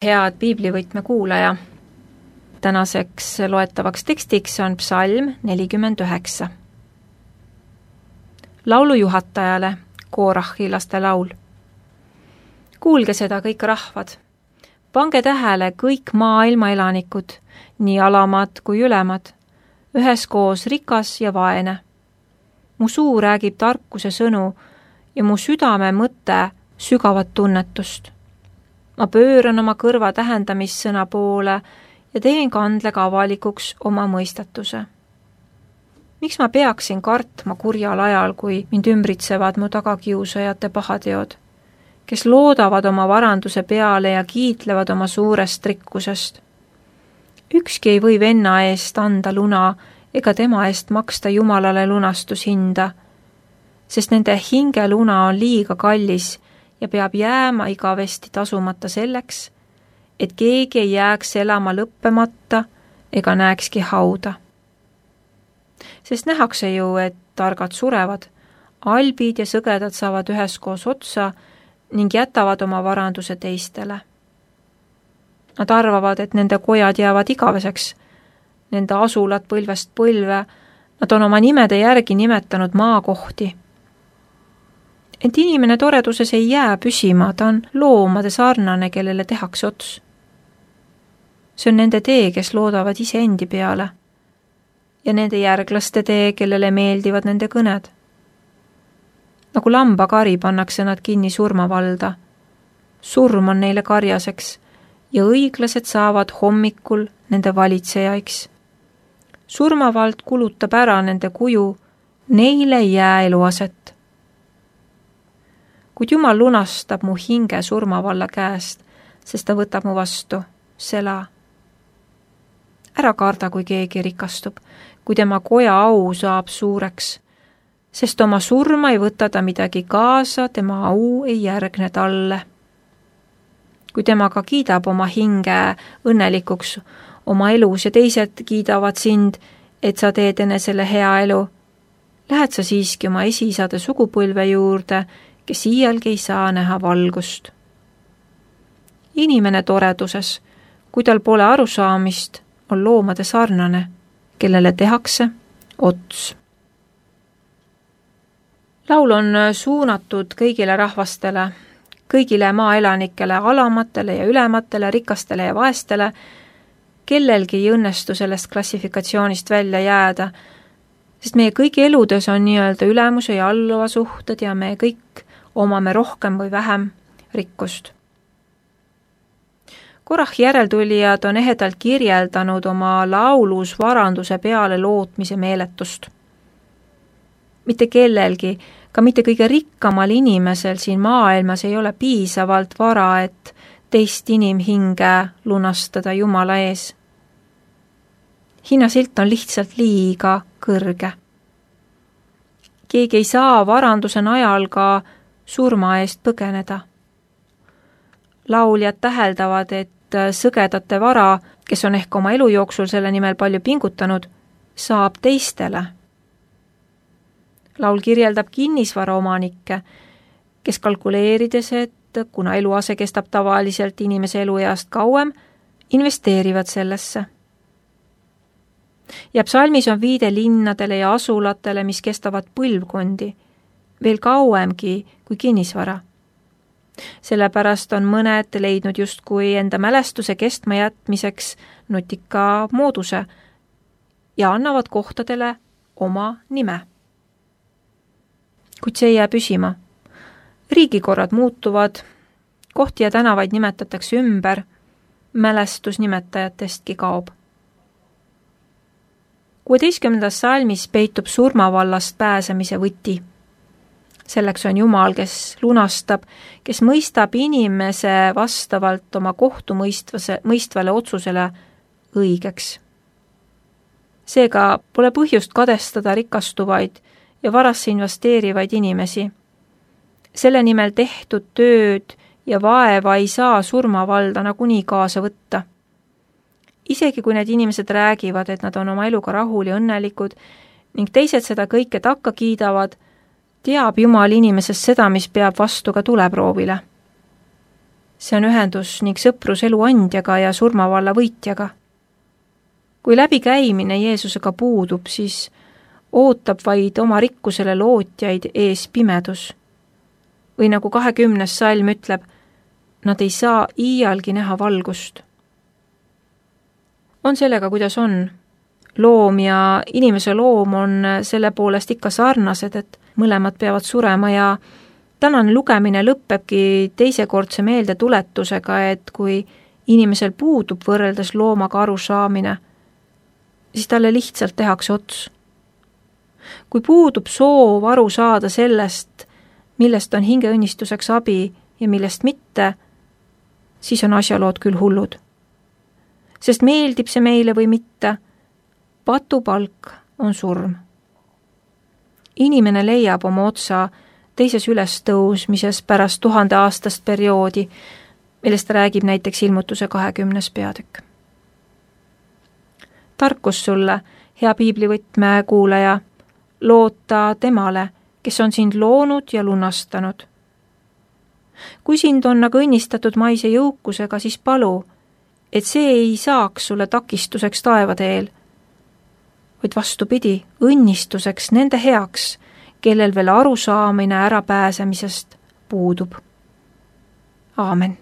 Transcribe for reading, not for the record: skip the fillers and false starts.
Head piiblivõtme kuulaja, tänaseks loetavaks tekstiks on psalm 49. Laulu juhatajale, Korahi laste laul. Kuulge seda kõik rahvad, pange tähele kõik maailma elanikud, nii alamad kui ülemad, üheskoos rikas ja vaene. Mu suu räägib tarkuse sõnu ja mu südame mõte sügavat tunnetust. Ma pööran oma kõrva tähendamissõna poole ja teen kandlega avalikuks oma mõistatuse. Miks ma peaksin kartma kurjal ajal, kui mind ümbritsevad mu tagakiusajate pahateod, kes loodavad oma varanduse peale ja kiitlevad oma suurest rikkusest? Ükski ei või venna eest anda luna ega tema eest maksta Jumalale lunastushinda, sest nende hingeluna on liiga kallis ja peab jääma igavesti tasumata selleks, et keegi ei jääks elama lõppemata ega näekski hauda. Sest nähakse ju, et targad surevad, albid ja sõgedad saavad üheskoos otsa ning jätavad oma varanduse teistele. Nad arvavad, et nende kojad jäävad igaveseks, nende asulad põlvest põlve, nad on oma nimede järgi nimetanud maakohti. Ent inimene toreduses ei jää püsima, ta on loomade sarnane, kellele tehakse ots. See on nende tee, kes loodavad iseendi peale, ja nende järglaste tee, kellele meeldivad nende kõned. Nagu lambakari pannakse nad kinni surmavalda. Surm on neile karjaseks ja õiglased saavad hommikul nende valitsejaiks. Surmavald kulutab ära nende kuju, neile ei jää eluaset. Kuid Jumal lunastab mu hinge surmavalla käest, sest ta võtab mu vastu, sela. Ära karda, kui keegi rikastub, kui tema koja au saab suureks, sest oma surma ei võta ta midagi kaasa, tema au ei järgne talle. Kui temaga kiidab oma hinge õnnelikuks oma elus ja teised kiidavad sind, et sa teed enesele hea elu, lähed sa siiski oma esiisade sugupõlve juurde, kes iialgi ei saa näha valgust. Inimene toreduses, kui tal pole arusaamist, on loomade sarnane, kellele tehakse ots. Laul on suunatud kõigile rahvastele, kõigile maaelanikele, alamatele ja ülematele, rikastele ja vaestele, kellelgi ei õnnestu sellest klassifikatsioonist välja jääda, sest meie kõigi eludes on nii-öelda ülemuse ja alluva suhted ja me kõik omame rohkem või vähem rikkust. Korahi järeltulijad on ehedalt kirjeldanud oma laulus varanduse peale lootmise meeletust. Mitte kellelgi, ka mitte kõige rikkamal inimesel siin maailmas ei ole piisavalt vara, et teist inimhinge lunastada Jumala ees. Hinnasilt on lihtsalt liiga kõrge. Keegi ei saa varanduse najal ka surma eest põgeneda. Lauljad täheldavad, et sõgedate vara, kes on ehk oma elu jooksul selle nimel palju pingutanud, saab teistele. Laul kirjeldab kinnisvara omanikke, kes kalkuleerides, et kuna eluase kestab tavaliselt inimese elueast kauem, investeerivad sellesse. Ja psalmis on viide linnadele ja asulatele, mis kestavad põlvkondi, veel kauemgi kui kinnisvara. Sellepärast on mõned leidnud justkui enda mälestuse kestma jätmiseks nutika mooduse ja annavad kohtadele oma nime. Kuid see ei jää püsima. Riigikorrad muutuvad, kohti ja tänavaid nimetatakse ümber, mälestus nimetajatestki kaob. 16. salmis peitub surmavallast pääsemise võti. Selleks on Jumal, kes lunastab, kes mõistab inimese vastavalt oma kohtumõistvale otsusele õigeks. Seega pole põhjust kadestada rikastuvaid ja varasse investeerivaid inimesi. Selle nimel tehtud tööd ja vaeva ei saa surmavalda nagunii kaasa võtta. Isegi kui need inimesed räägivad, et nad on oma eluga rahul ja õnnelikud ning teised seda kõike takka kiidavad, teab Jumal inimesest seda, mis peab vastu ka tuleproovile. See on ühendus ning sõprus elu andjaga ja surmavalla võitjaga. Kui läbikäimine Jeesusega puudub, siis ootab vaid oma rikkusele lootjaid ees pimedus. Või nagu 20. salm ütleb, nad ei saa iialgi näha valgust. On sellega, kuidas on. Loom ja inimese loom on selle poolest ikka sarnased, et mõlemad peavad surema ja tänane lugemine lõppebki teisekordse meeldetuletusega, et kui inimesel puudub võrreldes loomaga arusaamine, siis talle lihtsalt tehakse ots. Kui puudub soov aru saada sellest, millest on hingeõnnistuseks abi ja millest mitte, siis on asjalood küll hullud. Sest meeldib see meile või mitte, patupalk on surm. Inimene leiab oma otsa teises ülestõusmises pärast 1000-aastast perioodi, millest räägib näiteks Ilmutuse 20. peatükk. Tarkus sulle, hea piiblivõtme kuulaja, loota temale, kes on sind loonud ja lunastanud. Kui sind on aga õnnistatud maise jõukusega, siis palu, et see ei saaks sulle takistuseks taevateel, vaid vastupidi, õnnistuseks nende heaks, kellel veel arusaamine ärapääsemisest puudub. Aamen.